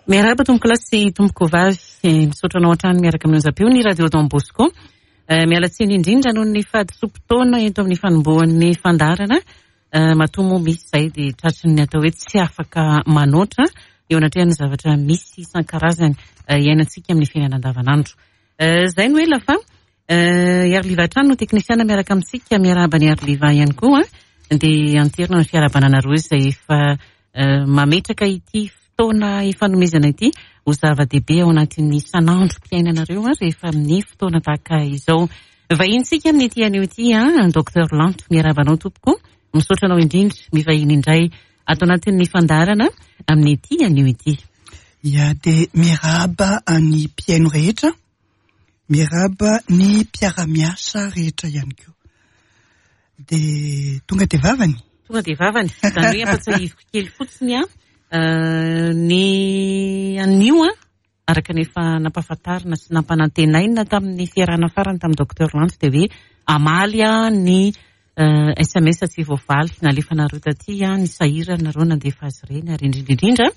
Miarahaba tompokolahy sy tompokovavy, misaotra anao hatrany miaraka amin'ny onjam-peo ny Radio Don Bosco. Miala tsiny indrindra noho ny fahadisoam-potoana eto amin'ny fanombohan'ny fandaharana. Matoa moa misy izay dia tratry ny atao hoe tsy afaka manoatra eo anatrehan'ny zavatra misy isan-karazany iainantsika amin'ny fiainana andavanandro. Izay no ela fa Iariliva hatrany no teknisiana miaraka amintsika. Miarahaba an'i Iariliva ihany koa. Dia anterina ny fiarahabana anareo izay efa mametraka ity fotoana ifanomezana ity ho zava-dehibe ao anatin'ny isan'androm-piainanareo rehefa amin'ny fotoana tahaka izao. Vahinintsika amin'ity anio ity, Docteur Lanto. Miarahaba anao tompoko. Misaotra anao indrindra mivahiny indray ato anatin'ny fandaharana amin'ity anio ity. Ya, dia miarahaba an'ny mpihaino rehetra. Miarahaba ny mpiara-miasa rehetra ihany koa. Dia tonga dia vavany? Tonga dia vavany. Izany hoe ampatsiahiviko kely fotsiny an, ny anio an, araka ny efa nampahafantarina sy nampanantenaina tamin'ny fiarahana farany tamin'ny Docteur Lanto dia hoe hamaly ny sms tsy voavaly nalefanareo taty, ny sahiranareo nandefa azy ireny ary indrindra indrindra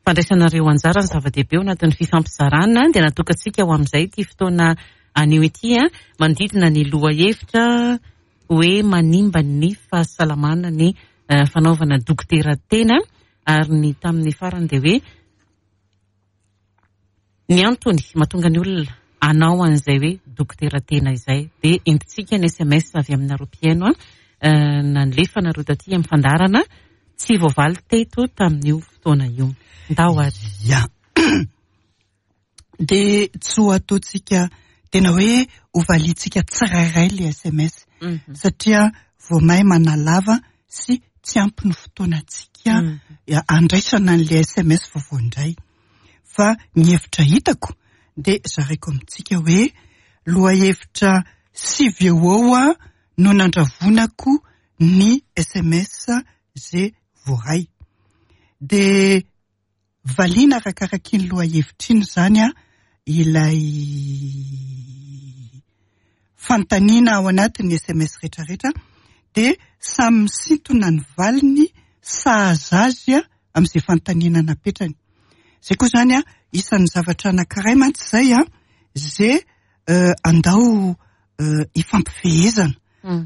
fandraisanareo anjara ny zava-dehibe ao anatin'ny fifampizarana dia natokantsika ho amin'izay ity fotoana anio ity manodidina ny lohahevitra hoe manimba ny fahasalamana ny fanaovana dokotera tena ary ny tamin'ny farany dia hoe ny antony mahatonga ny olona hanao an'izay hoe dokotera tena izay dia entintsika ny sms avy aminareo mpihaino nalefanareo taty amin'ny fandaharana tsy voavaly teto tamin'io fotoana io. Ndao ary. Ya. Dia tsy ho ataontsika tena hoe ho valiantsika tsirairay ilay sms satria vao may manalava sy tsy ampy ny fotoanantsika handraisana an'ilay sms vaovao indray. Fa ny hevitra hitako dia zaraiko amintsika hoe lohahevitra sivy eo ho eo no nandravonako ny sms ze voaray. Dia valiana arakarak'iny lohahevitra iny izany ilay fanontaniana ao anatin'ny sms rehetrarehetra dia samy misintona ny valiny sahaza azy amin'izay fanontaniana napetrany. Izay koa izany isan'ny zavatra anankiray mantsy izay izay andao ifampifehezana,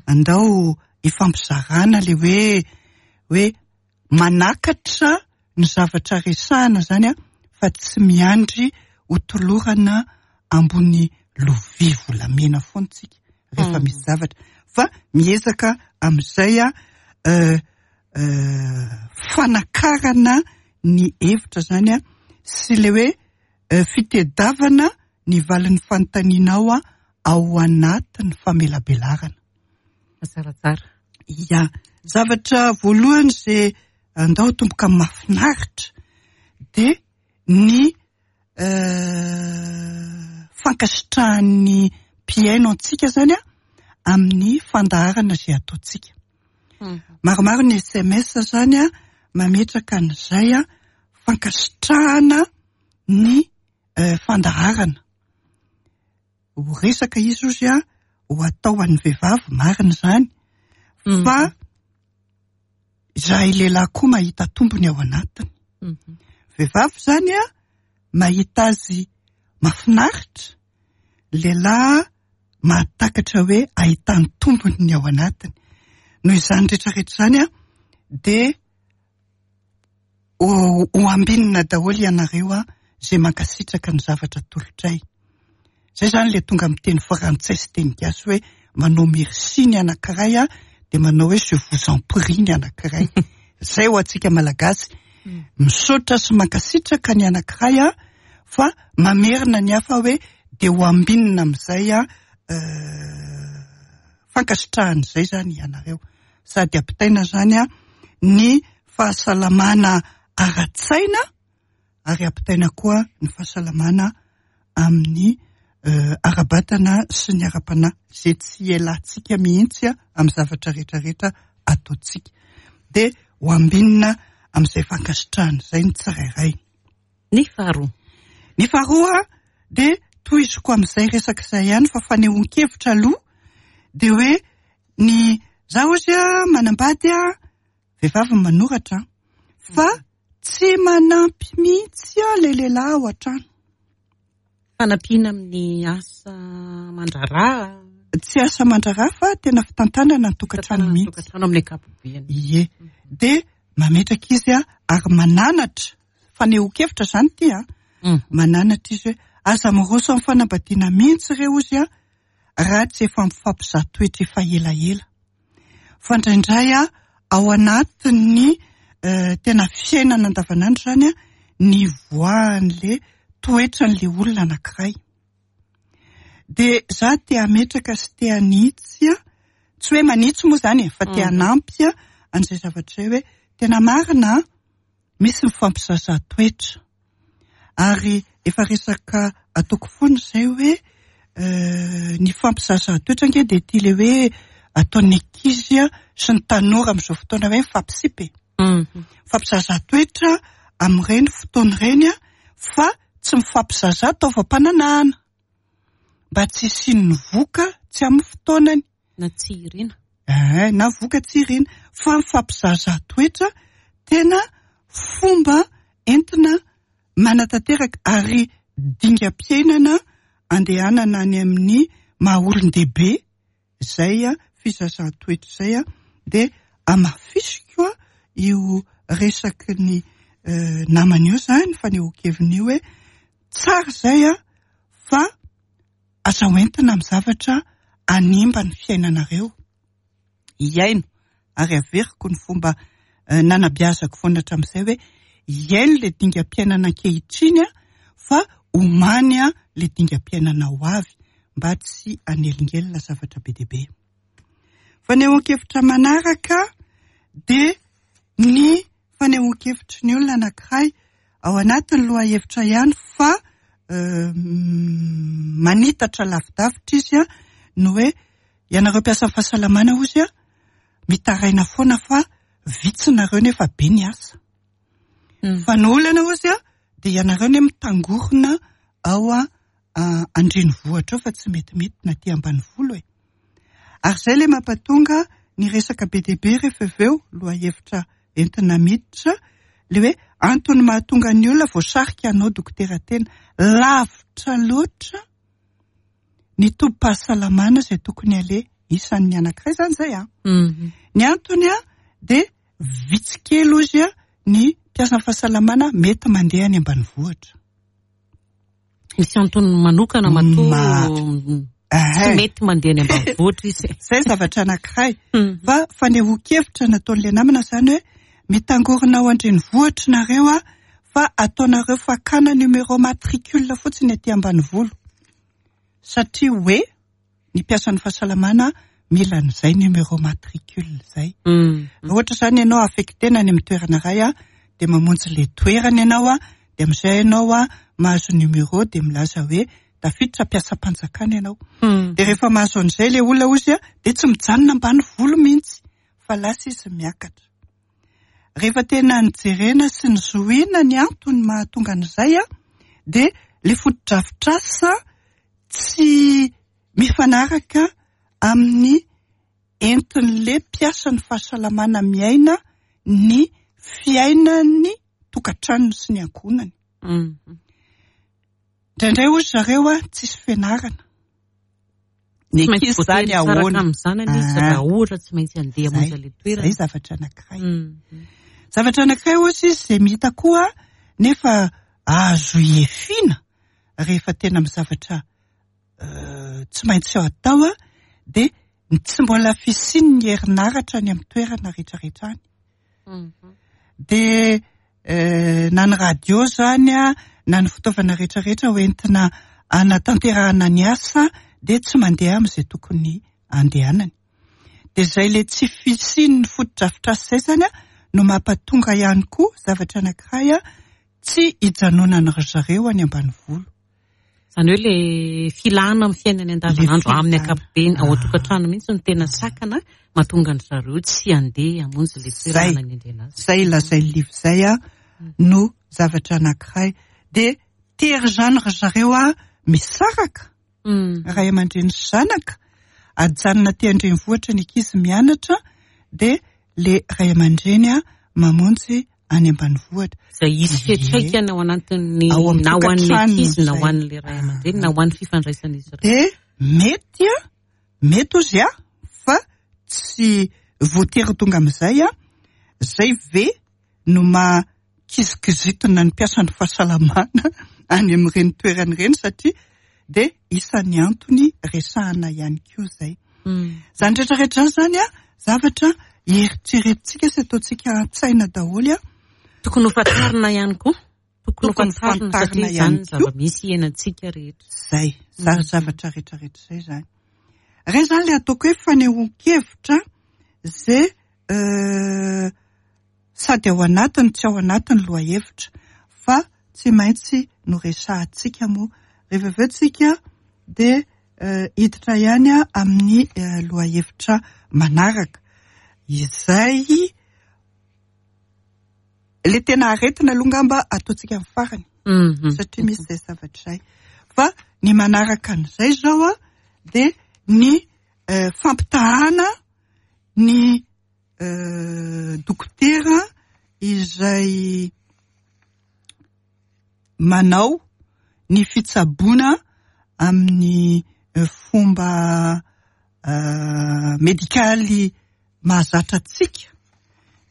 andao ifampizarana ilay hoe hoe manakatra ny zavatra resahana izany fa tsy miandry ho tolorana ambony lovia volamena foana isika rehefa misy zavatra fa miezaka amin'izay fanakarana ny hevitra izany sy ilay hoe fitedavana ny valin'ny fanontanianao ao anatin'ny famelabelarana. Tsaratsara. Ya. Zavatra voalohany izay andao tomboka mahafinaritra dia ny fankasitrahan'ny mpihaino antsika izany amin'ny fandaharana izay ataontsika. Maromaro ny sms izany mametraka an'izay fankasitrahana ny fandaharana. Ho resaka izy ozy ho atao ho an'ny vehivavy, marina izany, fa izahay lehilahy koa mahita tombony ao anatiny. Vehivavy izany mahita azy mahafinaritra, lehilahy mahatakatra hoe ahitany tombony ny ao anatiny. Noho izany rehetrarehetra izany dia ho ambinina daholo ianareo izay mankasitraka ny zavatra atolotray. Izay izany ilay tonga amin'ny teny frantsay sy teny gasy hoe manao merci ny anankiray dia manao hoe je vous en prie ny anankiray. Izay ho antsika Malagasy. Misaotra sy mankasitraka ny anankiray fa mamerina ny hafa hoe dia ho ambinina amin'izay fankasitrahana izay izany ianareo. Sady ampitaina izany ny fahasalamana ara-tsaina ary ampitaina koa ny fahasalamana amin'ny ara-batana sy ny ara-panahy izay tsy ialantsika mihitsy amin'ny zavatra rehetrarehetra ataontsika. Dia ho ambinina amin'izay fankasitrahana izay ny tsirairay. Ny faharoa. Ny faharoa dia tohiziko amin'izay resaka izay ihany fa fanehoan-kevitra aloha dia hoe ny za ozy manambady vehivavy ny manoratra fa. Tsy manampy mihitsy ilay lehilahy ao an-trano. Fanampiana amin'ny asa aman-draharaha. Tsy asa aman-draharaha fa tena fitantanana ny tokantrano mihitsy. Tokantrano amin'ny ankapobeny. Ie. Dia mametraka izy ary mananatra, fanehoan-kevitra izany ity an. Mananatra izy hoe aza miroso amin'ny fanambadiana mihitsy re hozy an, raha tsy efa mifampizaha toetra efa elaela. Fa indraindray ao anatin'ny tena fiainana andavanandro izany ny ivoahan'le toetran'le olona anankiray. Dia za te hametraka sy te hanitsy, tsy hoe manitsy moa izany e, fa te hanampy an'izay zavatra izay hoe tena marina misy mifampizaza toetra. Ary efa resaka ataoko foana izay hoe ny fampizaza toetra ange dia ity ilay hoe ataon'ny ankizy sy ny tanora amin'izao fotoana hoe mifampisipa e. Mifampizaza toetra amin'ireny fotoana ireny fa tsy mifampizaza taovam-pananahana mba tsy hisian'ny voka tsy amin'ny fotoanany. Na tsy irina. Na voka tsy irina. Fa mifampizaza toetra tena fomba entina manatanteraka ary dingam-piainana andehanana any amin'ny maha olon-dehibe izay fizazan-toetra izay dia hamafisiko io resaky ny namana io izany, fanehoan-keviny io hoe tsara izay fa aza hoentina amin'ny zavatra hanimba ny fiainanareo. Hiaino, ary averiko ny fomba nanabeazako foana hatramin'izay hoe hiaino ilay dingam-piainana ankehitriny fa omany ilay dingam-piainana ho avy mba tsy hanelingelina zavatra be dia be. Fanehoan-kevitra manaraka dia ny fanehoan-kevitry ny olona anankiray ao anatin'ny lohahevitra ihany fa manitatra lavidavitra izy ny hoe ianareo mpiasan'ny fahasalamana hozy mitaraina foana fa vitsy nareo nefa be ny asa. Fa ny olana hozy dia ianareo ne mitangorona ao an-drenivohitra ao fa tsy metimety na aty ambanivolo e. Ary izay ilay mampatonga ny resaka be dia be rehefa avy eo, lohahevitra entina miditra, ilay hoe antony mahatonga ny olona voasarika hanao dokotera tena lavitra loatra ny tobim-pahasalamana izay tokony aleha. Isan'ny anankiray izany izay an. Ny antony dia vitsy kely hozy ny mpiasan'ny fahasalamana mety mandeha any ambanivohitra. Misy antony manokana matoa tsy mety mandeha any ambanivohitra izy. Izay zavatra anankiray. Fa fanehoan-kevitra nataon'ilay namana izany hoe mitangorona ao an-drenivohitra nareo fa ataonareo fakana numéro matricule fotsiny aty ambanivolo. Satria hoe ny mpiasan'ny fahasalamana mila an'izay numéro matricule izay. Raha ohatra izany ianao affecté-na any amin'ny toerana iray dia mamonjy ilay toerana ianao dia amin'izay ianao mahazo numéro dia milaza hoe tafiditra mpiasam-panjakana ianao. Dia rehefa mahazo an'izay ilay olona hozy dia tsy mijanona ambanivolo mihitsy fa lasa izy miakatra. Rehefa tena nijerena sy nizohiana ny antony mahatonga an'izay dia ilay fotodrafitrasa tsy mifanaraka amin'ny entin'ilay mpiasan'ny fahasalamana miaina ny fiainan'ny tokantranony sy ny ankohonany. Indraindray hoy zareo tsisy fianarana. Ny ankizy izany ahoana? Amin'izany izy raha ohatra tsy maintsy handeha hamonjy ilay toerana. Izay zavatra anankiray. Zavatra anankiray hoy izy izay mihita koa nefa azo iefina rehefa tena amin'ny zavatra tsy maintsy atao dia ny tsy mbola fisian'ny herinaratra any amin'ny toerana rehetrarehetra any. Dia na ny radio izany na ny fitaovana rehetrarehetra hoentina hanatanterahana ny asa dia tsy mandeha amin'izay tokony handehanany. Dia izay ilay tsy fisian'ny fotodrafitrasa izay izany no mampatonga ihany koa zavatra anankiray tsy hijanonan'ny zareo any ambanivolo. Izany hoe ilay filana amin'ny fiainany andavanandro amin'ny ankapobeny ao an-tokantrano mihitsy no tena sakana mahatonga an-dry zareo tsy handeha hamonjy ilay toerana nanendrena azy. Izay lazain'i Liv izay no zavatra anankiray. Dia tery izany ry zareo misaraka, ray aman-dreny sy zanaka, ajanona aty an-drenivohitra ny ankizy mianatra, dia ilay ray aman-dreny mamonjy any ambanivohitra. Izay hisy fiantraikany ao anatin'ny Ao amin'ny na ho an'ny tokantranony ankizy na ho izay. an'ilay ray aman-dreny na ho an'ny fifandraisan'izy ireo. Dia mety a, mety ozy a, fa tsy voatery tonga amin'izay a, zay ve no maha kizikizitina ny mpiasan'ny fahasalamana any amin'ireny toerana ireny satria dia isan'ny antony resahana ihany koa izay. Izany rehetrarehetra izany zany a, zavatra eritreretintsika sy ataontsika an-tsaina daholo a. Tokony ho fantarina ihany koa. Tokony ho Tokony fantarina fantarina satria ihany izany ny koa. zava-misy iainantsika rehetra. Zay, zany zavatra rehetrarehetra izay zany. Ireny zany ilay ataoko hoe fanehoan-kevitra izay sady ao anatiny tsy ao anatiny lohahevitra fa tsy maintsy noresahantsika moa. Rehefa avy eo tsika dia hiditra ihany amin'ny lohahevitra manaraka izay le tena aretina aloha angamba ataontsika amin'ny farany satria misy izay zavatra izay. Fa ny manaraka an'izay izao a dia ny fampitahana ny dokotera izay manao ny fitsaboana amin'ny fomba medikaly mahazatra antsika.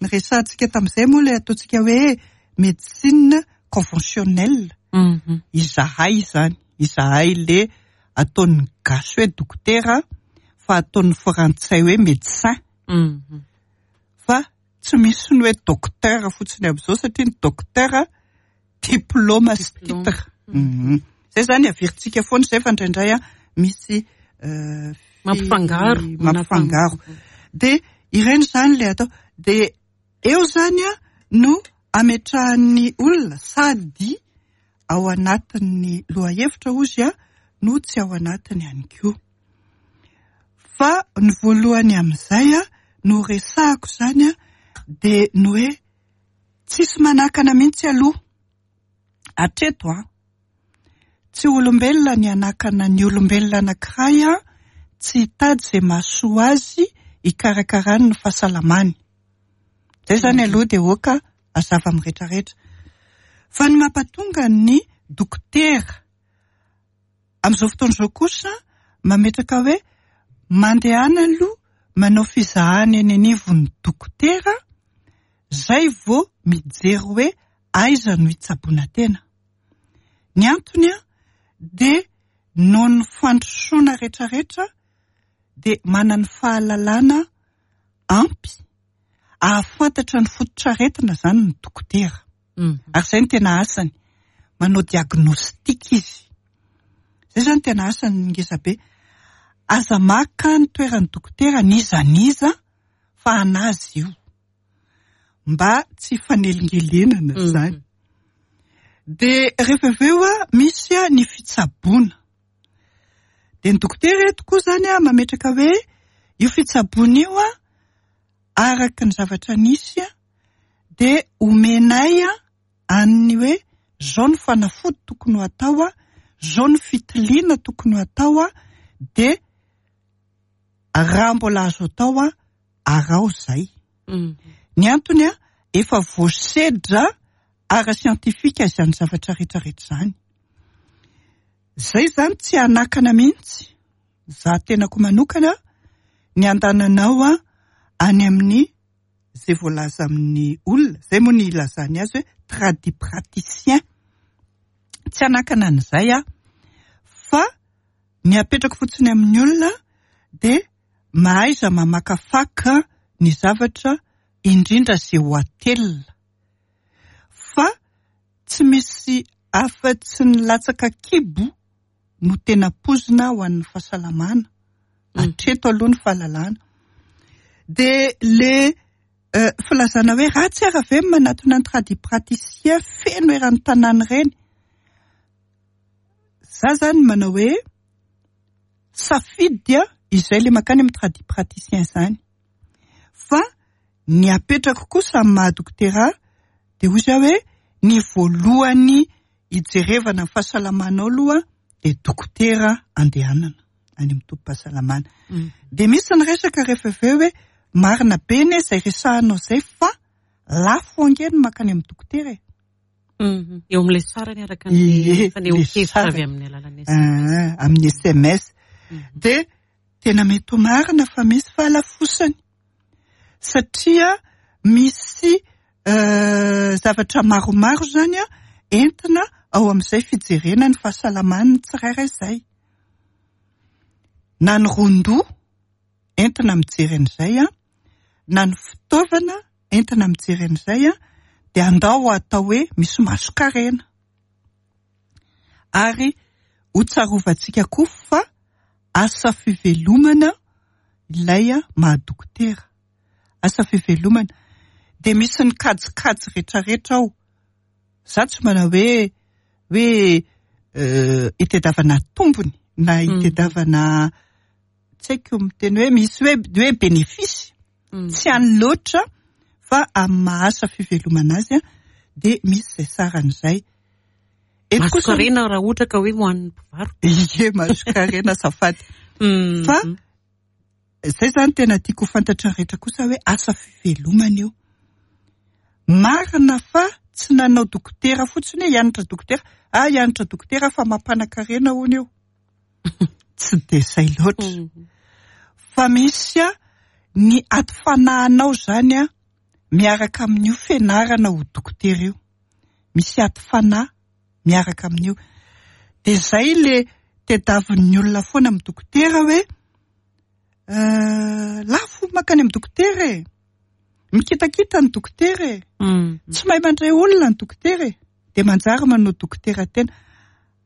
Ny resahantsika tamin'izay moa ilay ataontsika hoe médecine conventionnelle. Izahay izany, izahay le ataon'ny gasy hoe dokotera fa ataon'ny frantsay hoe médecin. Fa tsy misy ny hoe docteur fotsiny amin'izao satria ny docteur diplôme sy Diplôme. titre. Zay zany averintsika foana izay fa indraindray a misy Mampifangaro. mampifangaro. Dia ireny zany le atao. Dia eo zany a no ametrahan'ny olona sady ao anatin'ny lohahevitra ozy a no tsy ao anatiny ihany koa. Fa ny voalohany amin'izay a no resahako zany a dia ny hoe tsisy manakana mihitsy aloha hatreto a tsy olombelona ny hanakana ny olombelona anankiray a tsy hitady izay mahasoa azy hikarakarany ny fahasalamany. Zay zany aloha dia oka hazava amin'ny rehetrarehetra. Fa ny mampatonga ny dokotera amin'izao fotoana izao kosa mametraka hoe mandehana aloha manao fizahana eny anivon'ny dokotera zay vao mijery hoe aiza no hitsaboana tena. Ny antony a dia noho ny fandrosoana rehetrarehetra dia manana fahalalana ampy ahafantatra ny fototr'aretina zany ny dokotera. Ary izay no tena asany, manao diagnostic izy. Izay zany tena asany ngeza be. Aza maka ny toeran'ny dokotera n'iza n'iza fa anazy io. Mba tsy hifanelingelenana zany. Dia rehefa avy eo a misy a ny fitsaboana. Dia ny dokotera eto koa zany a mametraka hoe io fitsaboana io a araka ny zavatra nisy a dia omenay a an'ny hoe zao ny fanafody tokony ho atao a, zao ny fitiliana tokony ho atao a, dia raha mbola azo atao a araho zay. Ny antony a efa voasedra ara-siantifika izany zavatra rehetrarehetra izany. Zay zany tsy hanakana mihitsy. Za tenako manokana ny andananao a any amin'ny zay voalaza amin'ny olona, zay moa ny ilazany azy hoe tradipraticien. Tsy hanakana an'izay a, fa ny apetrako fotsiny amin'ny olona dia mahaiza mamakafaka ny zavatra indrindra zay ho atelina. Fa tsy misy afa-tsy ny latsaka kibo no tena pozina ho an'ny fahasalamana. Hatreto aloha ny fahalalana. Dia le filazana hoe ratsy ara ve ny manatona ny tradipraticien feno eran'ny tanàna ireny. Za zany manao hoe safidy a izay le mankany amin'ny tradipraticien zany. Fa ny apetrako kosa amin'ny maha dokotera dia hoy za hoe ny voalohany hijerevana ny fahasalamanao aloha dia dokotera andehanana any amin'ny tobim-pahasalamana. Dia misy ny resaka rehefa avy eo hoe marina be ne izay resahanao izay fa Lafo ange ny mankany amin'ny dokotera e. Eo amin'ilay sarany araka ny fanehoan-kevitra avy amin'ny alalan'ny SMS. Amin'ny SMS. Dia tena mety ho marina fa misy fahalafosany. Satria misy zavatra maromaro izany entina ao amin'izay fijerena ny fahasalaman'ny tsirairay izay. Na ny ron-doha entina mijery an'izay, na ny fitaovana entina mijery an'izay, dia andao atao hoe misy mason-karena. Ary ho tsarovantsika koa fa asa fivelomana ilay maha-dokotera. Asa fivelomana. Dia misy ny kajikajy rehetrarehetra ao. Za tsy manao hoe hoe itadiavana tombony na itadiavana tsy haiko miteny hoe misy hoe hoe bénéfice. Tsy any loatra fa amin'ny maha asa fivelomana azy dia misy izay sarany izay. Eto kosa Mason-karena raha ohatra ka hoe ho an'ny mpivarotra. Ie, mason-karena azafady. Fa izay izany tena tiako ho fantatra rehetra kosa hoe asa fivelomana io. Marina fa tsy nanao dokotera fotsiny hoe hianatra dokotera. Ah, hianatra dokotera fa mampanan-karena hono io. Tsy dia izay loatra. Fa misy ny ady fanahinao izany miaraka amin'io fianarana ho dokotera io. Misy ady fanahy miaraka amin'io. Dia izay le tadiavin'ny olona foana amin'ny dokotera hoe lafo mankany amin'ny dokotera e. Mikitakita ny dokotera e. Tsy mahay mandray olona ny dokotera e. Dia manjary manao dokotera tena.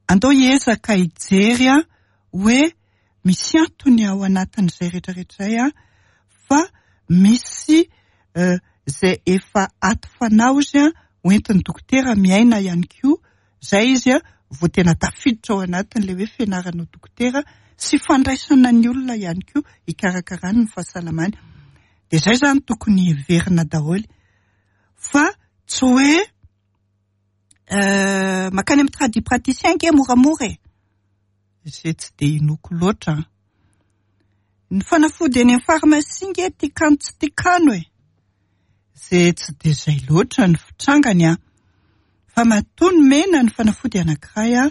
Andao hiezaka hijery hoe misy antony ao anatin'izay rehetrarehetra izay fa misy izay efa aty fanahy ozy hoentin'ny dokotera miaina ihany koa. Izay izy vao tena tafiditra ao anatin'ilay hoe fianarana ho dokotera sy fandraisana ny olona ihany koa hikarakarany ny fahasalamany. Dia izay izany tokony hiverina daholo. Fa tsy hoe mankany amin'ny tradipraticien ange moramora e. Izay tsy dia inoako loatra. Ny fanafody eny amin'ny pharmacie ange tiakano tsy tiakano e. Izay tsy dia izay loatra ny fitrangany an. Fa matoa nomena ny fanafody anankiray an,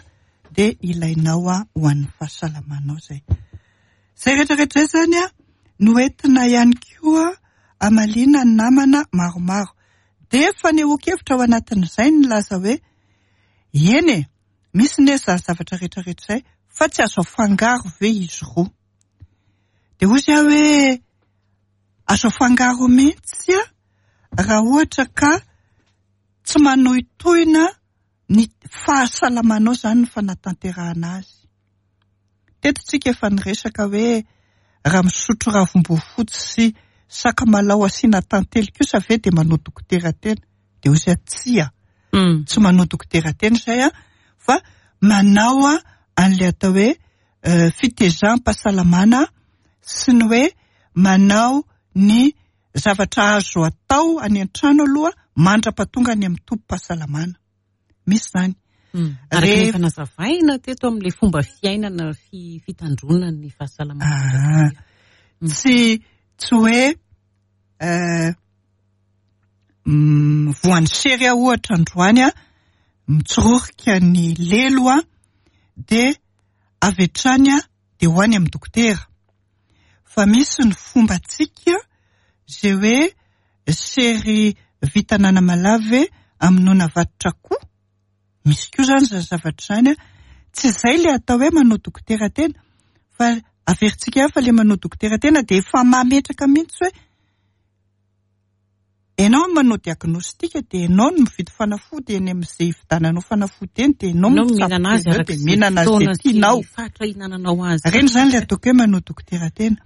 dia ilainao ho an'ny fahasalamanao izay. Izay rehetrarehetra izay izany an, no entina ihany koa hamaliana ny namana maromaro. Dia fanehoan-kevitra ao anatin'izay nilaza hoe eny e, misy ne izany zavatra rehetrarehetra izay, fa tsy azo afangaro ve izy roa? Dia hoy aho hoe azo afangaro mihitsy raha ohatra ka tsy manohitohina ny fahasalamanao izany ny fanatanterahana azy. Teto tsika efa niresaka hoe raha misotro ravim-boafotsy sy sakamalao asiana tantely kosa ve dia manao dokotera tena? Dia hoy izy tsia, tsy manao dokotera tena izay fa manao an'ilay atao hoe fitezam-pahasalamana sy ny hoe manao ny zavatra azo atao any an-trano aloha mandra-pahatonga any amin'ny tobim-pahasalamana. Misy izany. Araka ny efa nazavaina teto amin'ilay fomba fiainana fitandroana ny fahasalamana. Tsy tsy hoe voan'ny sery aho ohatra androany mitsirorika ny lelo dia avy hatrany dia ho any amin'ny dokotera. Fa misy ny fombantsika izay hoe sery vita ananamalave amonoana vatotr'akoho. Misy koa izany izany zavatra izany. Tsy izay ilay atao hoe manao dokotera tena. Fa averintsika ihany fa ilay manao dokotera tena dia efa mametraka mihitsy hoe ianao no manao diagnostic dia ianao no mividy fanafody eny amin'izay hividananao fanafody eny dia ianao no mihinana azy araka izay mihinana azy izay tianao. Fatra hihinananao azy. Ireny izany ilay ataoko hoe manao dokotera tena.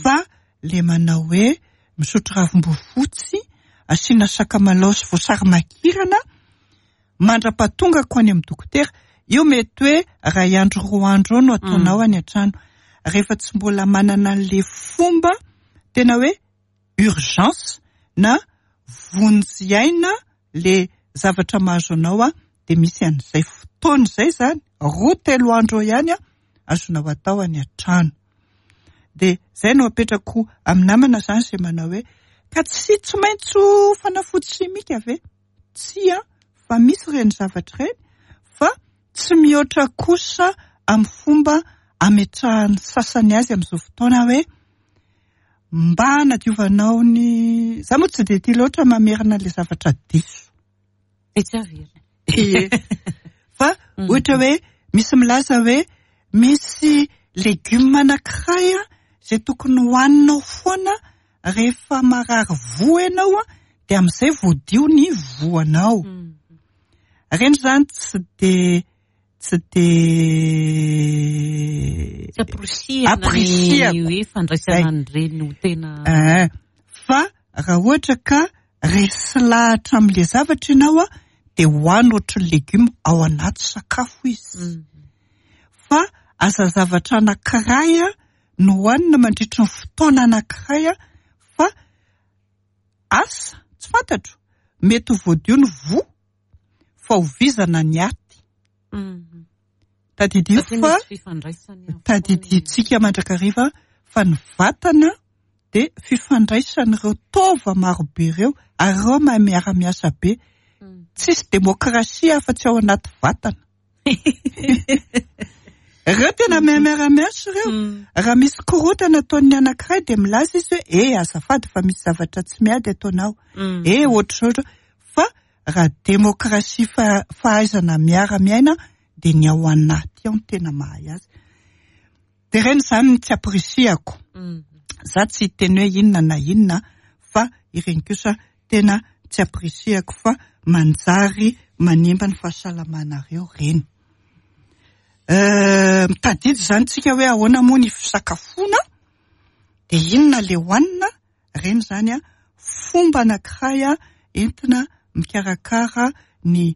Fa ilay manao hoe misotro ravim-boafotsy, asiana sakamalao sy voasary makirana, mandra-pahatongako any amin'ny dokotera. Io mety hoe iray andro roa andro eo no ataonao any an-trano. Rehefa tsy mbola manana an'ilay fomba tena hoe urgence na vonjy aina le zavatra mahazo anao dia misy an'izay fotoana izay izany, roa telo andro eo ihany azonao atao any an-trano. Dia izay no apetrako amin'ny namana izany izay manao hoe Ka tsy tsy maintsy ho fanafody simika ve? Tsia, fa misy ireny zavatra ireny fa tsy mihoatra kosa amin'ny fomba ametrahan'ny sasany azy amin'izao fotoana hoe mba hanadiovanao ny... Za moa tsy dia tia loatra mamerina ilay zavatra diso. Dia tsy averina. Ie. Fa ohatra hoe misy milaza hoe misy legioma anankiray izay tokony hohaninao foana rehefa marary voa ianao dia amin'izay voadio ny voanao. Ireny izany tsy dia tsy dia Tsy amporisihana ny hoe fandraisana an'ireny ho tena Fa raha ohatra ka resy lahatra amin'ilay zavatra ianao dia hohano ohatry ny legioma ao anaty sakafo izy. Fa aza zavatra anankiray no hohanina mandritry ny fotoana anankiray fa asa, tsy fantatro, mety ho voadio ny voa fa ho vizana ny aty. Tadidio fa tadidintsika mandrakariva fa ny vatana dia fifandraisan'ireo taova marobe ireo ary ireo mahay miara-miasa be. Tsisy demokrasia afa-tsy ao anaty vatana. Ireo tena mahay miara-miasa ireo. Raha misy korontana ataon'ny anankiray dia milaza izy hoe eh azafady fa misy zavatra tsy miady ataonao. Eh ohatr'izao ohatr'izao. Fa raha demokrasia fahaizana miara-miaina dia ny ao anaty ao no tena mahay azy. Dia ireny izany no tsy ampirisihako. Za tsy hiteny hoe inona na inona fa ireny kosa tena tsy ampirisihako fa manjary manimba ny fahasalamanareo ireny. Mitadidy izany tsika hoe ahoana moa ny fisakafoana dia inona ilay hohanina, ireny izany fomba anankiray entina mikarakara ny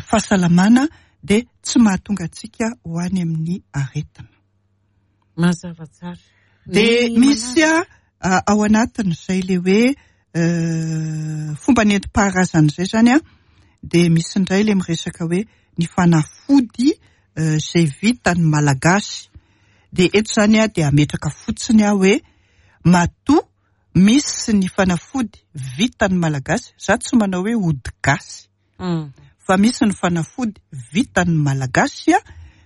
fahasalamana dia tsy mahatonga antsika ho any amin'ny aretina. Mazava tsara. Dia misy ao anatin'izay ilay hoe fomba nentim-paharazana izay izany an, dia misy indray ilay miresaka hoe ny fanafody izay vitan'ny Malagasy. Dia eto izany aho dia hametraka fotsiny aho hoe matoa misy ny fanafody vitan'ny Malagasy, za tsy manao hoe ody gasy, fa misy ny fanafody vitan'ny Malagasy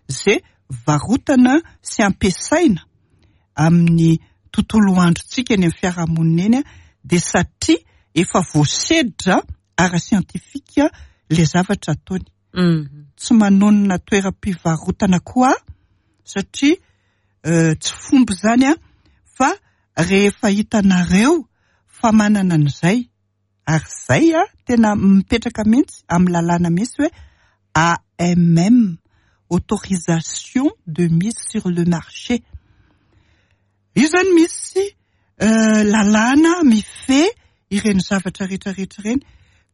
izay varotana sy ampiasaina amin'ny tontolo androntsika eny amin'ny fiarahamonina eny dia satria efa voasedra ara-siantifika ilay zavatra ataony. Tsy manonona toeram-pivarotana koa aho satria tsy fomba izany fa rehefa hitanareo fa manana an'izay ary izay tena mipetraka mihitsy amin'ny lalàna mihitsy hoe AMM, autorisation de mise sur le marché. Io izany misy lalàna mifehy ireny zavatra rehetra rehetra ireny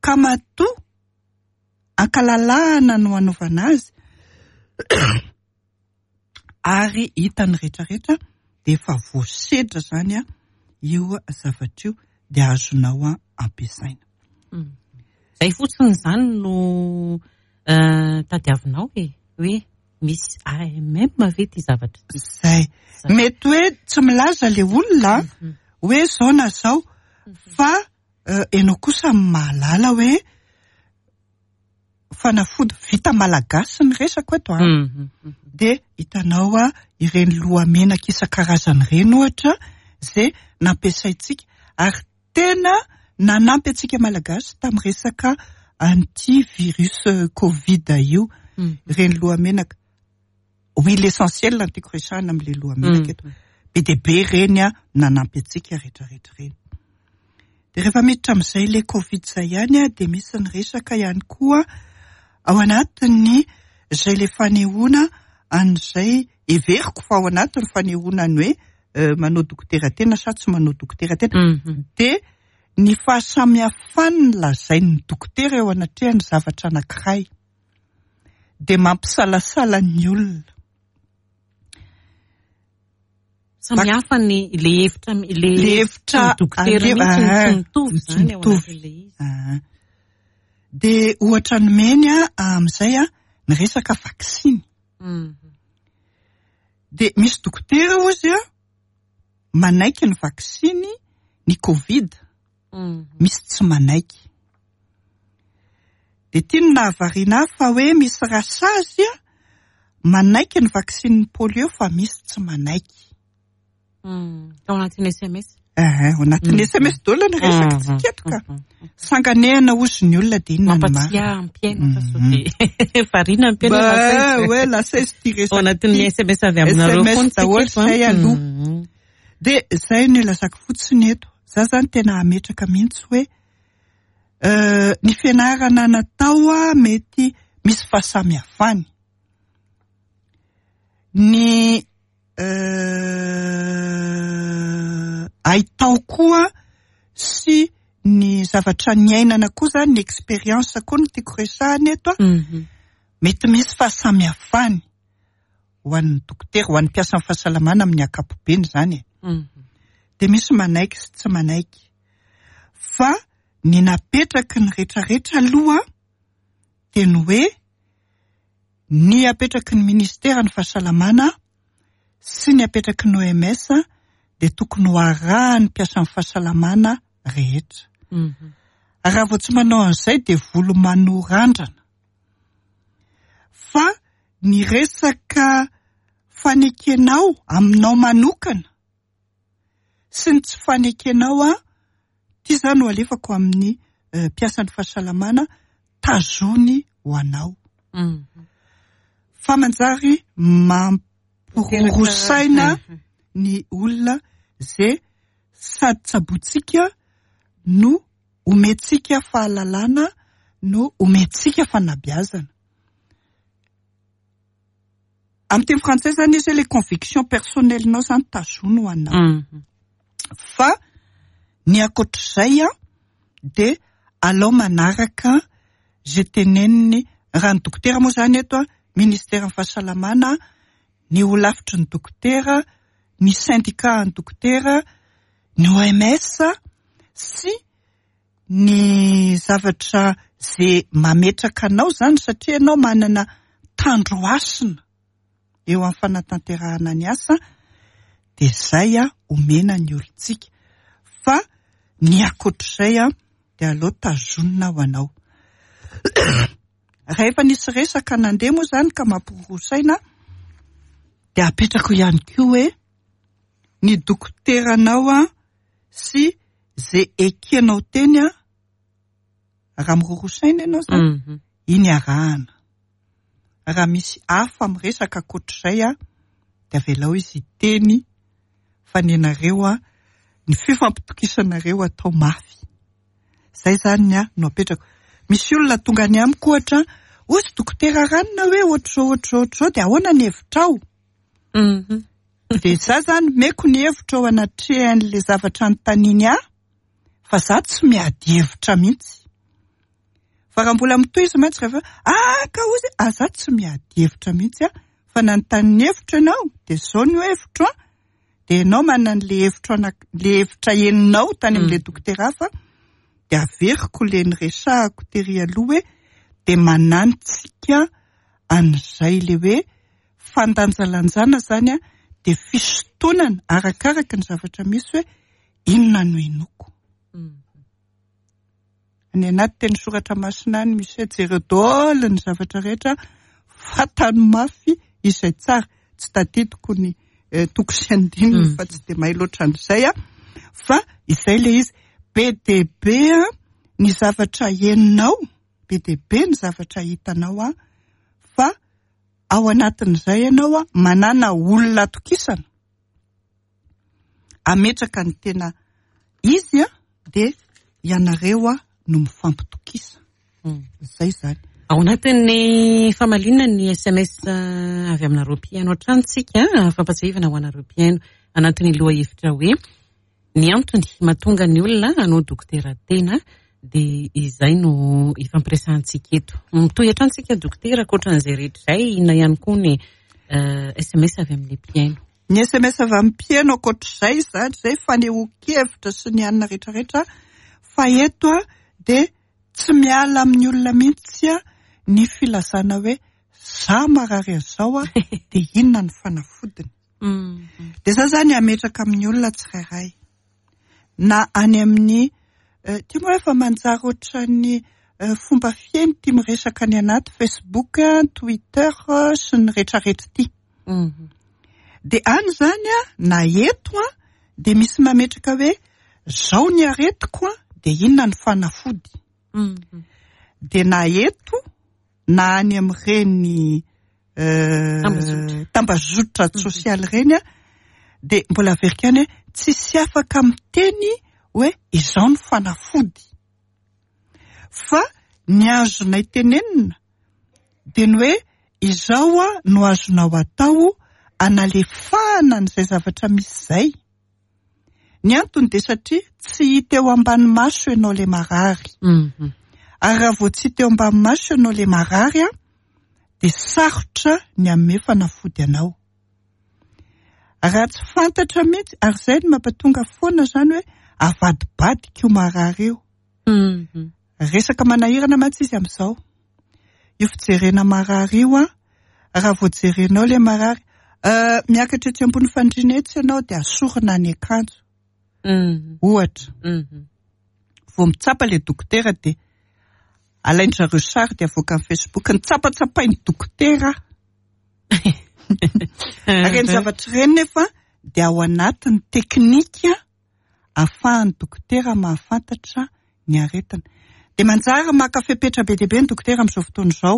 ka matoa ankalalahana no anaovana azy ary hitan'ny rehetra rehetra dia efa voasedra izany io zavatra io dia azonao ampiasaina. Izay fotsiny izany no tadiavinao e, hoe misy AMM ve ity zavatra ity? Izay. Mety hoe tsy milaza ilay olona hoe izao na izao fa ianao kosa mahalala hoe fanafody vita malagasy ny resako eto an, dia hitanao ireny lohamenaka isan-karazany ireny ohatra izay nampiasaintsika ary tena nanampy antsika malagasy tamin'ny resaka an'ity virus covid io, ireny lohamenaka. Huile essentielle no tiako resahina amin'ilay lohamenaka eto. Be dia be ireny nanampy antsika rehetrarehetra ireny. Dia rehefa miditra amin'izay ilay covid izay ihany dia misy ny resaka ihany koa ao anatin'ny izay ilay fanehoana an'izay heveriko fa ao anatin'ny fanehoana ny hoe manao dokotera tena sa tsy manao dokotera tena. Dia ny fahasamihafan'ny lazain'ny dokotera eo anatrehan'ny zavatra anankiray dia mampisalasala ny olona. Samy hafa ny le hevitra le hevitra dokotera mihitsy no tsy mitovy izany ao anatin'ilay izy. Dia ohatra nomeny amin'izay ny resaka vaksiny. Dia misy dokotera hozy manaiky ny vaksiny ny covid. Misy tsy manaiky. Dia ity no nahavariana ahy fa hoe misy rasazy manaiky ny vaksinin'ny polio fa misy tsy manaiky. Tao anatin'ny SMS. Eh, ao anatin'ny SMS daholo ny resaka tsika eto ka. Sanganehana hozy ny olona dia inona ny marina. Mampatsiahy ny mpihaino fa sao dia variana ny mpihaino hoe lasa izy. Hoe lasa izy ity resaka Ao anatin'ny SMS avy aminareo SMS foana tsika daholo eto, an. izay aloha. Dia izay no ilazako fotsiny eto. Za zany tena hametraka mihitsy hoe ny fianarana natao mety misy fahasamihafany. Ny haitao koa sy ny zavatra niainana koa zany, ny expérience koa no tiako resahana eto a. Mety misy fahasamihafany ho an'ny dokotera, ho an'ny mpiasan'ny fahasalamana amin'ny ankapobeny izany e. Dia misy manaiky sy tsy manaiky. Fa ny napetraky ny rehetrarehetra aloha dia ny hoe ny apetraky ny ministeran'ny fahasalamana sy ny apetraky ny OMS dia tokony ho arahan'ny mpiasan'ny fahasalamana rehetra. Ary raha vao tsy manao an'izay dia volo manorandrana. Fa ny resaka fanekenao aminao manokana sy ny tsy fanekenao an, ity izany no alefako amin'ny mpiasan'ny fahasalamana, tazony ho anao. Fa manjary mampiroro saina ny olona izay sady tsabointsika no omentsika fahalalana no omentsika fanabeazana. Amin'ny teny frantsay zany izy hoe les convictions personnelles-nao zany tazono ho anao. Fa ny ankoatr'izay an, dia alao manaraka izay teneniny, raha ny dokotera moa zany eto an, ministeran'ny fahasalamana, ny holafitry ny dokotera, ny syndicat an'ny dokotera, ny OMS sy ny zavatra ze mametraka anao zany satria ianao manana tandro hasina eo amin'ny fanatanterahana ny asa dia zay omena ny olontsika fa ny ankoatr'izay dia aleo tazonina ho anao. Raha efa nisy resaka nandeha moa zany ka mampiroroa saina dia apetrako ihany koa hoe ny dokoteranao sy ze ekenao teny a, raha miroroa saina ianao zany, iny arahana. Raha misy hafa miresaka ankoatr'izay a, dia avelao izy hiteny fa ny anareo a, ny fifampitokisanareo atao mafy. Zay zany ny ahy no apetrako. Misy olona tonga any amiko ohatra, hozy dokotera ranona hoe ohatr'izao ohatr'izao ohatr'izao dia ahoana ny hevitrao? Dia za zany omeko ny hevitra ao anatrehan'ilay zavatra anontaniany ahy fa za tsy miady hevitra mihitsy. Fa raha mbola mitohy izy mantsy rehefa ah ka hozy ah za tsy miady hevitra mihitsy aho fa nanontany ny hevitro ianao dia izao no hevitro an. Dia ianao manana an'ilay hevitro ana-, ilay hevitra henonao tany amin'ilay dokotera hafa dia averiko ilay niresahako tery aloha hoe dia manantsika an'izay ilay hoe fandanjalanjana zany a dia fisintonana arakaraka ny zavatra misy hoe inona no inoako. Any anaty teny soratra masina any misy hoe jereo daholo ny zavatra rehetra, fantany mafy izay tsara. Tsy tadidiko ny toko sy andininy fa tsy dia mahay loatra an'izay aho. Fa izay ilay izy. Be dia be ny zavatra henonao, be dia be ny zavatra hitanao an, fa ao anatin'izay ianao manana olona atokisana ametraka ny tena izy dia ianareo no mifampitokisa. Izay izany. Ao anatin'ny famaliana ny SMS avy aminareo mpihaino hatrany tsika, fampatsiahivana ho anareo mpihaino anatin'ny lohahevitra hoe Ny antony mahatonga ny olona hanao dokotera tena dia izay no ifampiresahantsika eto. Mitohy hatrany tsika dokotera, ankoatran'izay rehetra izay, inona ihany koa ny SMS avy amin'ny mpihaino? Ny SMS avy amin'ny mpihaino ankoatr'izay izany, izay fanehoan-kevitra sy ny anona rehetrarehetra, fa eto dia tsy miala amin'ny olona mihitsy ny filazana hoe za marary an'izao dia inona ny fanafodiny. Dia za zany hametraka amin'ny olona tsirairay na any amin'ny Ity moa efa manjary ohatran'ny fomba fihaino ity miresaka any anaty Facebook, Twitter sy ny rehetrarehetra ity. Dia any izany na eto dia misy mametraka hoe zao ny aretiko dia inona ny fanafody. Dia na eto na any amin'ireny tambazotra sosialy ireny dia mbola averiko ihany hoe tsisy afaka miteny hoe izao ny fanafody. Fa ny azonay tenenina dia ny hoe izao no azonao atao analefahana an'izay zavatra misy izay. Ny antony dia satria tsy hita eo ambany maso ianao ilay marary. Ary raha vao tsy hita eo ambany maso ianao ilay marary dia sarotra ny hanome fanafody anao. Raha tsy fantatra mihitsy, ary izay no mampatonga foana izany hoe avadibadika io marary io. Resaka manahirana mantsy izy amin'izao. Io fijerena marary io an, raha vao jerenao ilay marary, miakatra etsy ambony fandriana etsy ianao dia asorina ny akanjo. Ohatra. Vao mitsapa ilay dokotera dia alain-dry zareo sary dia avoaka amin'ny Facebook. Nitsapatsapain'ny dokotera aho. Ireny zavatra ireny nefa dia ao anatin'ny teknika ahafahan'ny dokotera mahafantatra ny aretina. Dia manjary maka fepetra be dia be ny dokotera amin'izao fotoana izao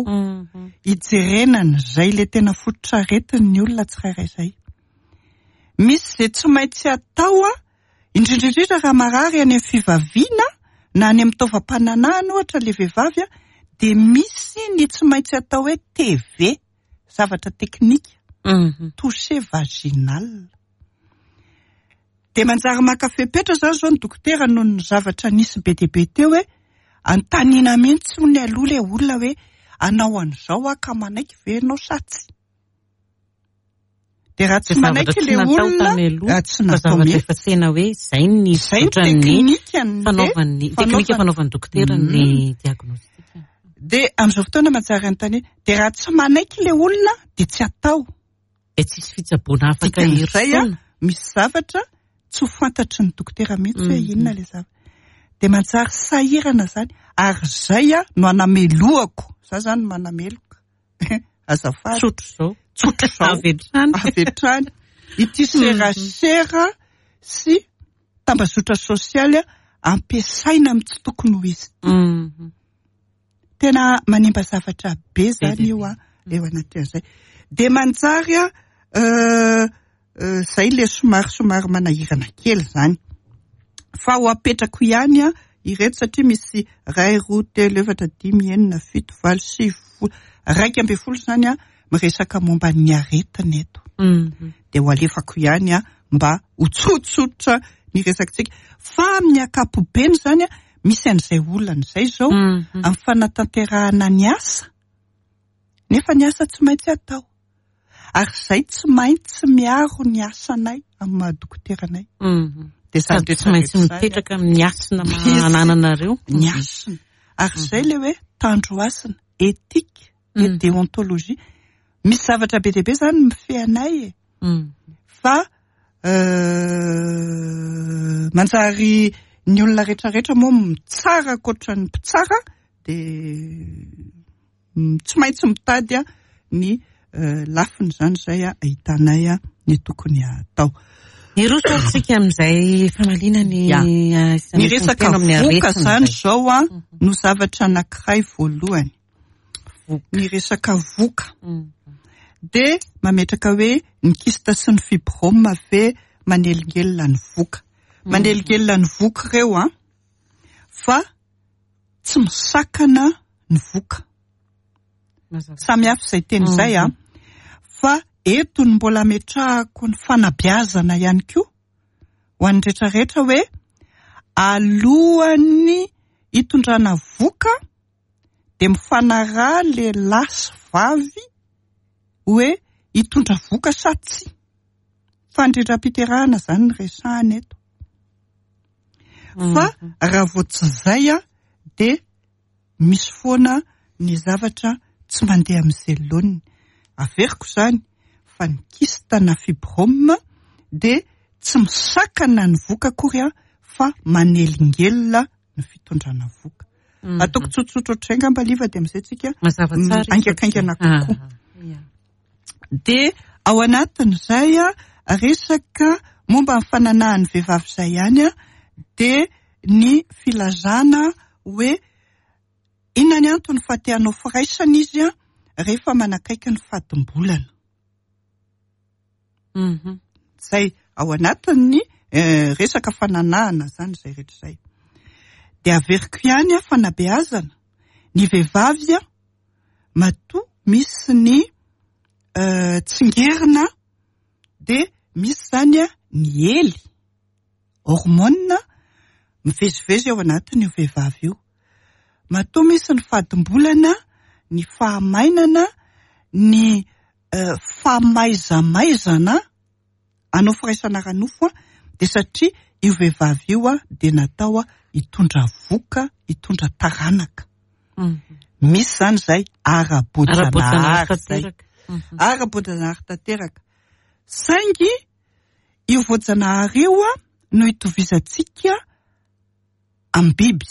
hijerena an'izay ilay tena fototr'aretin'ny olona tsirairay izay. Misy izay tsy maintsy atao, indrindra indrindra raha marary any amin'ny fivaviana na any amin'ny taovam-pananahana ohatra ilay vehivavy, dia misy ny tsy maintsy atao hoe TV, zavatra teknika, toucher vaginal. Dia manjary maka fepetra izany izao ny dokotera noho ny zavatra nisy be dia be teo hoe anontaniana mihitsy hono aloha ilay olona hoe hanao an'izao aho ka manaiky ve ianao sa tsia. Dia raha tsy manaiky ilay olona, raha tsy natao mihitsy. Efa tena hoe izay ny Izay ny teknika ny fanaovan'ny teknika fanaovan'ny dokotera ny diagnostic. Dia amin'izao fotoana manjary anontaniana, dia raha tsy manaiky ilay olona dia tsy atao. Dia tsisy fitsaboana afaka Dikan'izay a, misy zavatra tsy ho fantatry ny dokotera mihitsy hoe inona ilay zavatra. Dia manjary sahirana izany, ary izay a no anamelohako, za izany manameloka, azafady. Tsotra izao. Tsotra izao. Avy hatrany. Avy hatrany. Ity serasera sy tambazotra sosialy ampiasaina amin'ny tsy tokony ho izy ity. Tena manimba zavatra be zany io a, eo anatin'izay. Dia manjary a, zay le somary somary manahirana kely zany. Fa ho apetrako ihany a ireto satria misy iray, roa, telo, efatra, dimy, enina, fito, valo, sivy, folo, 11 zany a miresaka momba ny aretina eto. Dia ho alefako ihany a mba ho tsotsotra ny resakitsika. Fa amin'ny ankapobeny zany a, misy an'izay olana izay izao amin'ny fanatanterahana ny asa, nefa ny asa tsy maintsy atao. Ary izay tsy maintsy miaro ny asanay amin'ny maha dokotera anay. Dia sady tsy maintsy mipetraka amin'ny hasina anananareo. Ny hasina. Ary izay ilay hoe tandro hasina, éthique et déontologie. Misy zavatra be dia be izany mifehy anay e. Fa manjary ny olona rehetrarehetra moa mitsara ankoatra ny mpitsara dia tsy maintsy mitady ny lafiny izany izay ahitanay ny tokony hatao. Hiroso ary tsika amin'izay famaliana ny Ny resaka voka izany izao no zavatra anankiray voalohany. Ny resaka voka. Dia mametraka hoe ny kyste sy ny fibrome ve manelingelina ny voka. Manelingelina ny voka ireo an, fa tsy misakana ny voka. Samy hafa izay teny izay an. Fa eto no mbola ametrahako ny fanabeazana ihany koa ho an'ny rehetrarehetra hoe alohan'ny hitondrana voka dia mifanaraha lehilahy sy vavy hoe hitondra voka sa tsia. Fandrindram-piterahana izany no resahana eto. Fa raha vao tsy izay dia misy foana ny zavatra tsy mandeha amin'izay laoniny. Averiko izany fa ny kyste na fibrome dia tsy misakana ny voka akory fa manelingelina. ny fitondrana vohoka. Ataoko tsotsotra ohatr'izay angamba Liva dia amin'izay tsika Mazava tsara izy. haingakaingana kokoa. Dia ao anatin'izay resaka momba ny fananahan'ny vehivavy izay ihany dia ny filazana hoe inona ny antony fa te hanao firaisana izy rehefa manakaiky ny fadimbolana. Izay ao anatin'ny resaka fananahana izany izay rehetra izay. Dia averiko ihany fanabeazana ny vehivavy matoa misy ny tsingerina dia misy izany ny hely, hormone mivezivezy ao anatin'io vehivavy io. Matoa misy ny fadimbolana, ny fahamainana, ny famaizamaizana hanao firaisana ara-nofo dia satria io vehivavy io dia natao hitondra vohoka, hitondra taranaka. Misy izany izay ara-boajanahary izay. Ara-boajanahary tanteraka. Saingy io voajanahary io no itovizantsika amin'ny biby.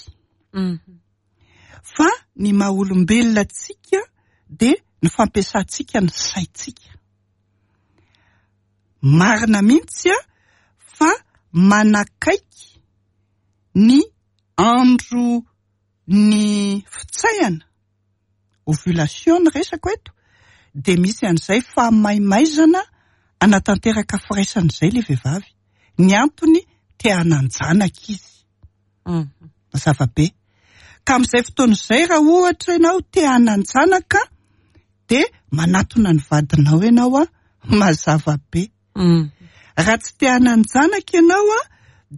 Fa ny maha olombelona antsika dia ny fampiasantsika ny saintsika. Marina mihitsy fa manakaiky ny andro ny fitsaihana, ovulation ny resako eto, dia misy an'izay fahamaimaizana hanatanteraka firaisana izay ilay vehivavy. Ny antony te hanan-janaka izy. Mazava be. Ka amin'izay fotoana izay raha ohatra ianao te hanan-janaka dia manatona ny vadinao ianao, mazava be. Raha tsy te hanan-janaka ianao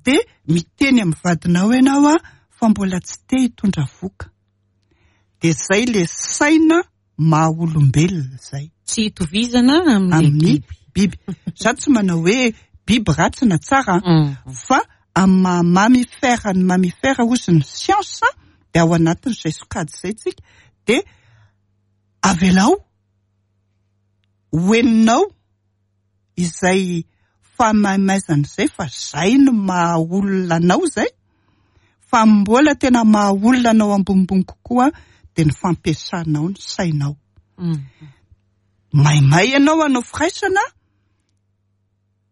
dia miteny amin'ny vadinao ianao fa mbola tsy te hitondra vohoka. Dia izay ilay saina maha olombelona izay. Tsy itovizana amin'ny biby. Za tsy manao hoe biby ratsy na tsara fa amin'ny maha mammifère ny mammifère hozy ny siansa dia ao anatin'izay sokajy izay tsika dia avelao ho heninao izay fahamaimaizana izay fa zay no maha olona anao izay fa mbola tena maha olona anao ambonimbony kokoa dia ny fampiasanao ny sainao. Maimay ianao hanao firaisana,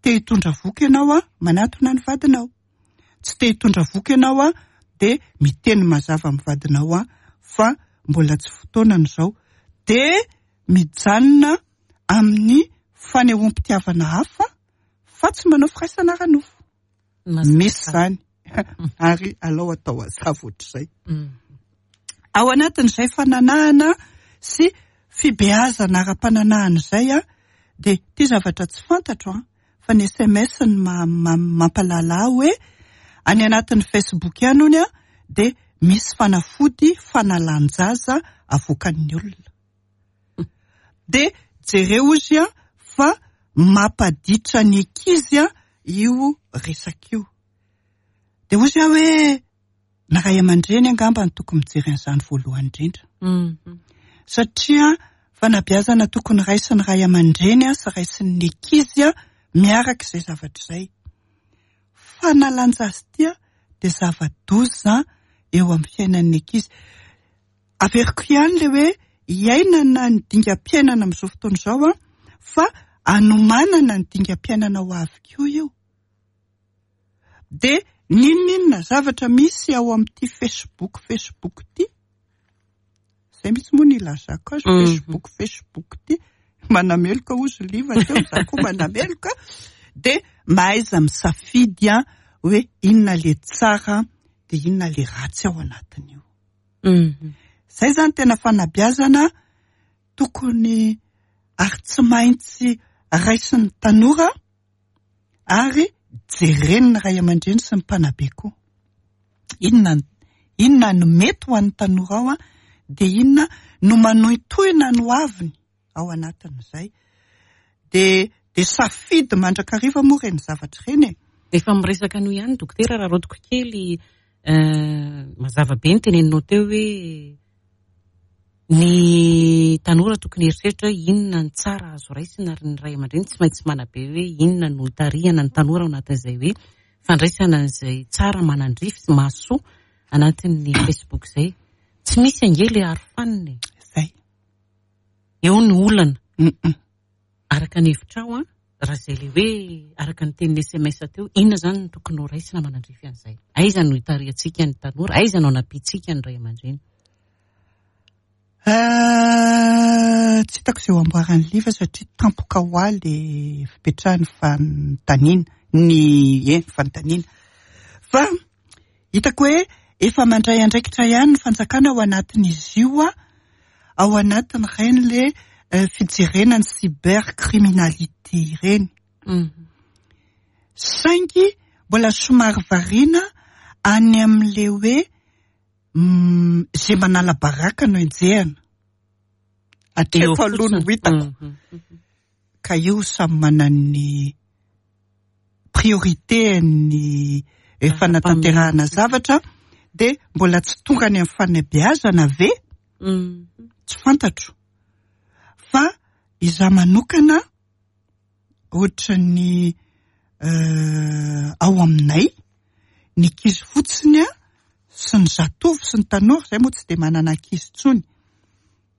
te hitondra voky ianao manatona ny vadinao. Tsy te hitondra voky ianao dia miteny mazava amin'ny vadinao fa mbola tsy fotoanany izao. Dia mijanona amin'ny fanehoam-pitiavana hafa fa tsy manao firaisana ara-nofo. Misy izany ary alao atao hazava ohatr'izay. Ao anatin'izay fananahana sy fibeazana ara-pananahana izay dia ity zavatra tsy fantatro fa ny SMS no mampahalala ahy hoe any anatin'ny Facebook ihany hono dia misy fanafody fanalan-jaza avoakan'ny olona. Dia jereo ozy fa mampaditra ny ankizy io resaka io. Dia ozy aho hoe ny ray aman-dreny angamba no tokony mijery an'izany voalohany indrindra. Satria fanabeazana tokony raisin'ny ray aman-dreny sy raisin'ny ankizy miaraka izay zavatra izay. Fanalan-jaza ity dia zava-doza eo amin'ny fiainan'ny ankizy. Averiko ihany ilay hoe iainana ny dingam-piainana amin'izao fotoana izao fa anomanana ny dingam-piainana ho avy koa io. Dia n'inon'inona zavatra misy ao amin'ity Facebook Facebook ity, izay mihitsy moa no ilazako azy, Facebook Facebook ity, manameloka hozy Liva teo, za koa manameloka, dia mahaiza misafidy hoe inona ilay tsara dia inona ilay ratsy ao anatin'io. Izay izany tena fanabeazana tokony ary tsy maintsy raisin'ny tanora ary jeren'ny ray aman-dreny sy ny mpanabe koa. Inona inona no mety ho an'ny tanora ao dia inona no manohintohina ny hoaviny ao anatin'izay. Dia dia safidy mandrakariva moa ireny zavatra ireny e. Efa miresaka an'io ihany dokotera raha rodiko kely mazava be ny teneninao teo hoe ny tanora tokony hieritreritra hoe inona ny tsara azo raisina ary ny ray aman-dreny tsy maintsy manabe hoe inona no hitarihana ny tanora ao anatin'izay hoe fandraisana an'izay tsara manandrify sy mahasoa. anatin'ny Facebook izay. Tsy misy ange ilay arofanina e. Izay. Eo ny olana. Araka ny hevitrao an, raha izay ilay hoe araka ny tenin'ny sms teo, inona izany no tokony ho raisina manandrify an'izay? Aiza no hitarihantsika ny tanora? Aiza no hanampiantsika ny ray aman-dreny? Tsy hitako izay ho amboaran'i Liva satria tampoka ho ahy ilay fipetrahan'ny fanontaniana, ny e, fanontaniana. Fa hitako hoe efa mandray andraikitra ihany ny fanjakana ao anatin'izy io, ao anatin'ireny ilay fijerena ny cybercriminalité ireny. Saingy mbola somary variana any amin'ilay hoe Izay manala baraka no enjehina. Hatreto aloha no hitako. Ka io samy manana ny priorité ny fanatanterahana zavatra dia mbola tsy tonga any amin'ny fanabeazana ve? Tsy fantatro. Fa izaho manokana ohatran'ny ao aminay, ny ankizy fotsiny sy ny zatovo sy ny tanora, izay moa tsy dia manana ankizy intsony,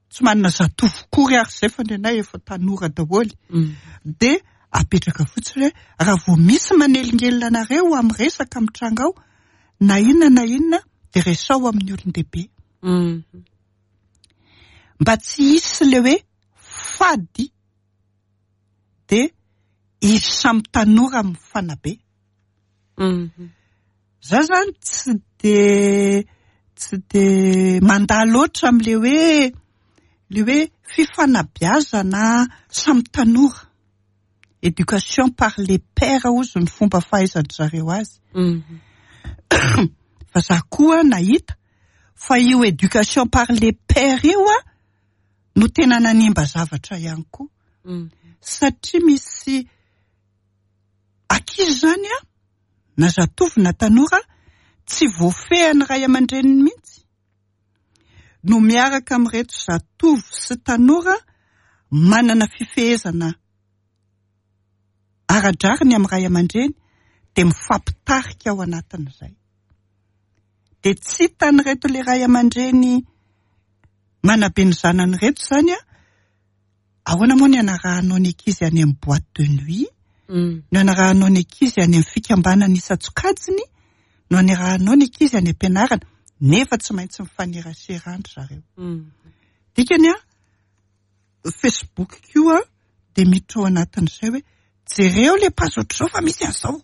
tsy manana zatovo akory ary izay fa ny anay efa tanora daholo, dia apetraka fotsiny hoe raha vao misy manelingelina anareo amin'ny resaka mitranga ao, na inona na inona dia resaho amin'ny olon-dehibe. Mba tsy hisy ilay hoe fady dia izy samy tanora mifanabe. Za zany tsy de tsy de mandà loatra amin'ilay hoe ilay hoe fifanabeazana samy tanora. Éducation par les pairs hozy ny fomba fahaizan-dry zareo azy. Fa za koa nahita fa io éducation par les pairs io an, no tena nanimba zavatra ihany koa. Satria misy ankizy izany an, na zatovo na tanora, tsy voafehin'ny ray aman-dreniny mihitsy, no miaraka amin'ireto zatovo sy tanora manana fifehezana ara-drariny amin'ny ray aman-dreny, dia mifampitarika ao anatin'izay. Dia tsy hitan'ireto ilay ray aman-dreny manabe ny zanany ireto izany an, ahoana moa ny anarahanao ny ankizy any amin'ny boîte de nuit, no anarahanao ny ankizy any amin'ny fikambanana isan-tsokajiny, no anarahanao ny ankizy any am-pianarana, nefa tsy maintsy mifanerasera any ry zareo. Dikany an, Facebook koa dia miditra ao anatin'izay hoe jereo ilay page ohatr'izao fa misy an'izao.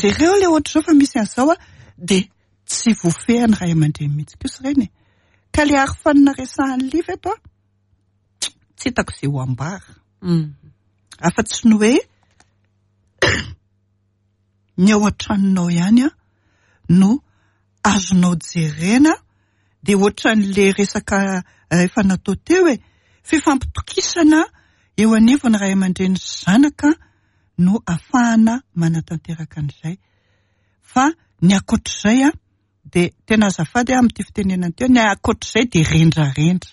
Jereo ilay ohatr'izao fa misy an'izao an, dia tsy voafehin'ny ray aman-dreny mihitsy kosa ireny e. Ka ilay arofanina resahan'i Liva eto an, tsy hitako izay ho ambara. Afa-tsy ny hoe ny ao an-tranonao ihany an no azonao jerena, dia ohatran'ilay resaka efa natao teo e, fifampitokisana eo anivon'ny ray aman-dreny sy zanaka no afahana manatanteraka an'izay. Fa ny ankoatr'izay an, dia tena azafady aho amin'ity fitenenana ity, ny ankoatr'izay dia rendrarendra.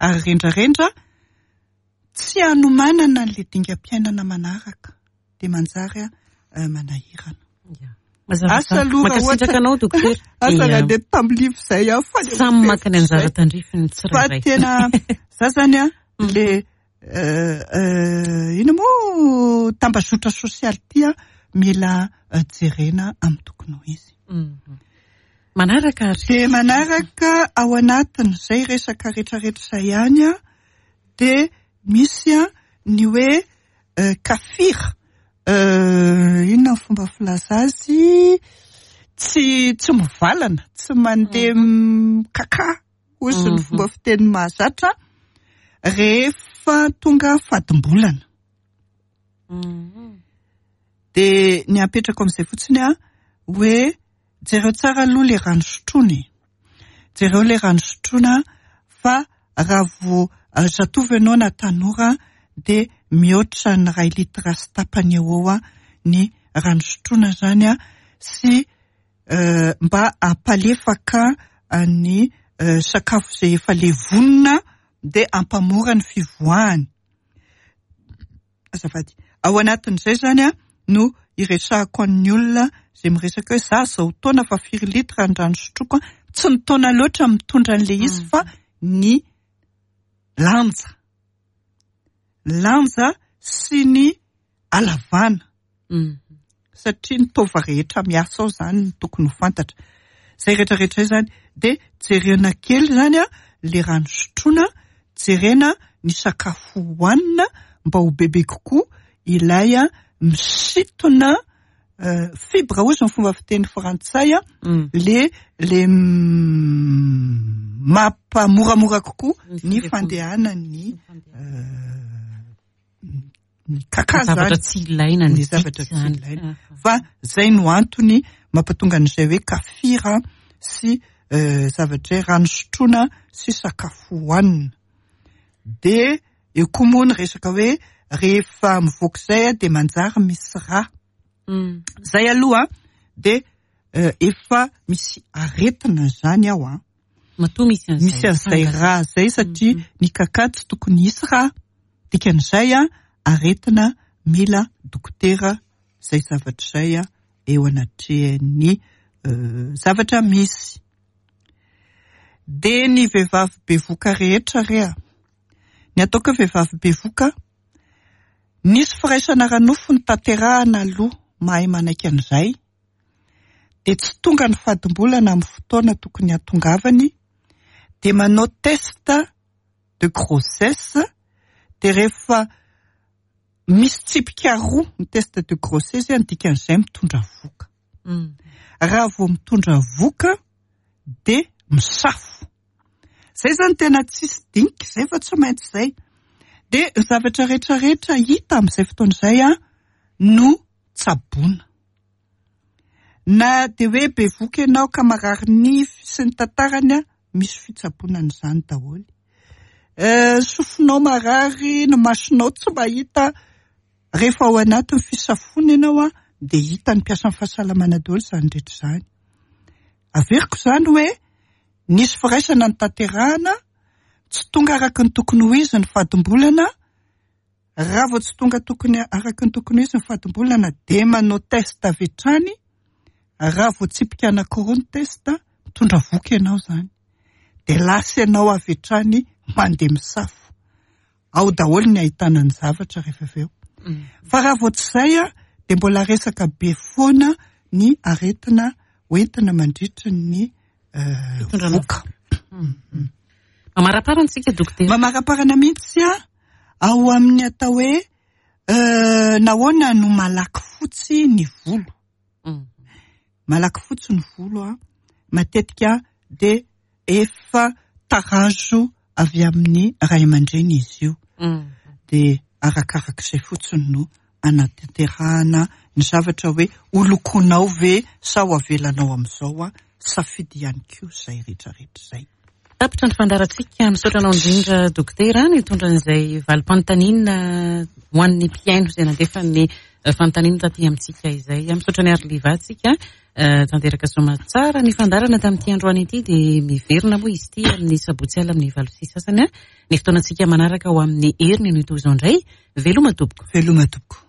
Ary rendrarendra tsy hanomanana an'ilay dingam-piainana manaraka, dia manjary manahirana. Asa aloha raha ohatra anao dokotera. Asa raha dia tamin'ny live izay aho fa samy maka ny anjara tandrifiny tsirairay. Fa tena za zany an, le Inona moa tambazotra sosialy ity an, mila jerena amin'ny tokony ho izy. Manaraka ary. Dia manaraka ao anatin'izay resaka rehetrarehetra izay ihany an, dia misy an ny hoe kafir, inona ny fomba filaza azy, tsy tsy mivalana, tsy mandeha mikaka. hozy ny fomba fiteny mahazatra, rehefa tonga fadimbolana. Dia ny apetrako amin'izay fotsiny an, hoe jereo tsara aloha ilay rano sotroina e. Jereo ilay rano sotroina fa raha vao zatovo ianao na tanora dia mihoatra ny iray litre sy tapany eo ho eo ny rano sotroina izany an, sy mba hampalefaka ny sakafo izay efa levonina dia hampamora ny fivoahany. Azafady. Ao anatin'izay izany no iresahako an'ny olona izay miresaka hoe za zao taona fa firy litre ny rano sotroiko an, tsy ny taona loatra mitondra an'ilay izy fa ny lanja. Lanja sy ny halavana. Satria ny taova rehetra miasa ao izany no tokony ho fantatra. Izay rehetra rehetra izay izany dia jerena kely izany an, ilay rano sotroina, jerena ny sakafo hohanina mba ho bebe kokoa ilay misintona fibre hozy ny fomba fiteny frantsay an, le le mampamoramora kokoa ny fandehanan'ny ny kaka zany. Zavatra tsy ilaina ny zavatra tsy ilaina. Fa zay no antony mampatonga an'izay hoe kafira sy zavatra hoe rano sotroina sy sakafo hohanina. Dia eo koa moa ny resaka hoe rehefa mivoaka izay dia manjary misy rà. Zay aloha dia efa misy aretina zany ao an. Matoa misy an'izay. Misy an'izay rà zay satria ny kaka tsy tokony hisy rà. Dikan'izay aretina mila dokotera izay zavatra izay eo anatrehan'ny zavatra misy. Dia ny vehivavy bevoka rehetra re a! Ny ataoko hoe vehivavy bevoka, nisy firaisana ara-nofo notanterahana aloha mahay manaiky an'izay, dia tsy tonga ny fadimbolana amin'ny fotoana tokony hahatongavany, dia manao test de grossesse, dia rehefa misy tsipika roa ny test de grossesse, ny dikan'izay mitondra vohoka. Raha vao mitondra vohoka dia misafo. Izay izany tena tsisy dinika izay fa tsy maintsy izay. Dia ny zavatra rehetra rehetra hita amin'izay fotoana izay no tsaboina. Na dia hoe bevoka ianao ka marary nify sy ny tantarany, misy fitsaboana an'izany daholo. Sofinao marary, ny masonao tsy mahita, rehefa ao anatin'ny fisafoana ianao dia hitan'ny mpiasan'ny fahasalamana daholo izany rehetra izany. Averiko izany hoe nisy firaisana notanterahana, tsy tonga araka ny tokony ho izy ny fadimbolana, Raha vao tsy tonga tokony araka ny tokony ho izy ny fadimbolana dia manao test avy hatrany, raha vao tsipika anankiroa ny test, mitondra voky ianao izany. Dia lasa ianao avy hatrany mandeha misafo. Ao daholo ny ahitana ny zavatra rehefa avy eo. Fa raha vao tsy izay dia mbola resaka be foana ny aretina hoentina mandritra ny voka. Mamaraparana isika dokotera. Mamaraparana mihitsy ao amin'ny atao hoe nahoana no malaky fotsy ny volo. Malaky fotsy ny volo matetika dia efa tarazo avy amin'ny ray aman-dreny izy io. Dia arakarak'izay fotsiny no anatanterahana ny zavatra hoe ho lokoinao ve sa ho avelanao amin'izao, safidy ihany koa izay rehetrarehetra izay. Tapitra ny fandaharantsika. Misaotra anao indrindra Dokotera nitondra an'izay valim-panontaniana ho an'ny mpihaino izay nandefa ny fanontaniana taty amintsika izay. Misaotra an'i Arliva tsika. Tanteraka soamatsara ny fandaharana tamin'ity androany ity dia miverina moa izy ity amin'ny sabotsy alina amin'ny 8:30. Ny fotoanantsika manaraka ho amin'ny heriny no toy izao indray. Veloma tompoko. Veloma tompoko.